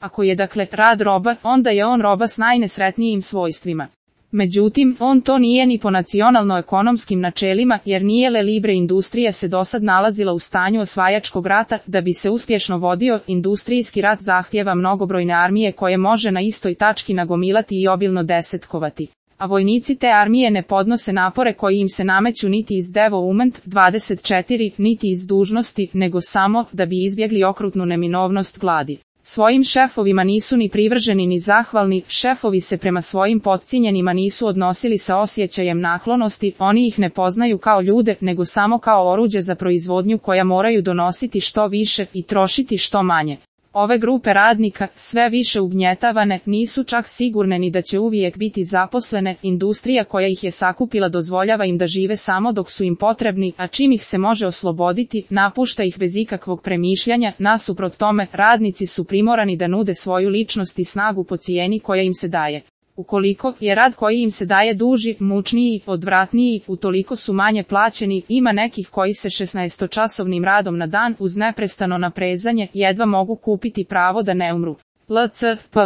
Ako je dakle rad roba, onda je on roba s najnesretnijim svojstvima. Međutim, on to nije ni po nacionalno-ekonomskim načelima, jer nije le libre industrija se dosad nalazila u stanju osvajačkog rata. Da bi se uspješno vodio, industrijski rat zahtijeva mnogobrojne armije koje može na istoj tački nagomilati i obilno desetkovati. A vojnici te armije ne podnose napore koji im se nameću niti iz Development 24, niti iz dužnosti, nego samo da bi izbjegli okrutnu neminovnost gladi. Svojim šefovima nisu ni privrženi ni zahvalni, šefovi se prema svojim potcijenjenima nisu odnosili sa osjećajem naklonosti, oni ih ne poznaju kao ljude, nego samo kao oruđe za proizvodnju koja moraju donositi što više i trošiti što manje. Ove grupe radnika, sve više ugnjetavane, nisu čak sigurne ni da će uvijek biti zaposlene, industrija koja ih je sakupila dozvoljava im da žive samo dok su im potrebni, a čim ih se može osloboditi, napušta ih bez ikakvog premišljanja. Nasuprot tome, radnici su primorani da nude svoju ličnost i snagu po cijeni koja im se daje. Ukoliko je rad koji im se daje duži, mučniji, odvratniji, utoliko su manje plaćeni. Ima nekih koji se 16-časovnim radom na dan uz neprestano naprezanje jedva mogu kupiti pravo da ne umru. LCP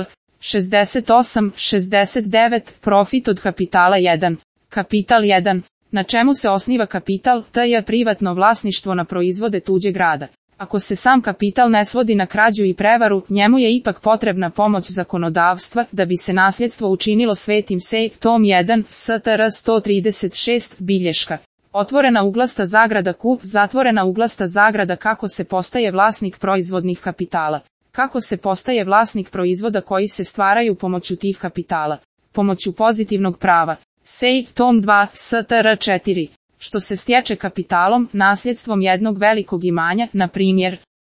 68-69 Profit od kapitala 1. Kapital 1. Na čemu se osniva kapital? To je privatno vlasništvo na proizvode tuđeg rada. Ako se sam kapital ne svodi na krađu i prevaru, njemu je ipak potrebna pomoć zakonodavstva, da bi se nasljedstvo učinilo svetim. Sej, tom 1, STR 136, bilješka. Otvorena uglasta zagrada Q, zatvorena uglasta zagrada. Kako se postaje vlasnik proizvodnih kapitala? Kako se postaje vlasnik proizvoda koji se stvaraju pomoću tih kapitala? Pomoću pozitivnog prava. Sej, tom 2, STR 4. Što se stječe kapitalom, nasljedstvom jednog velikog imanja, na primjer,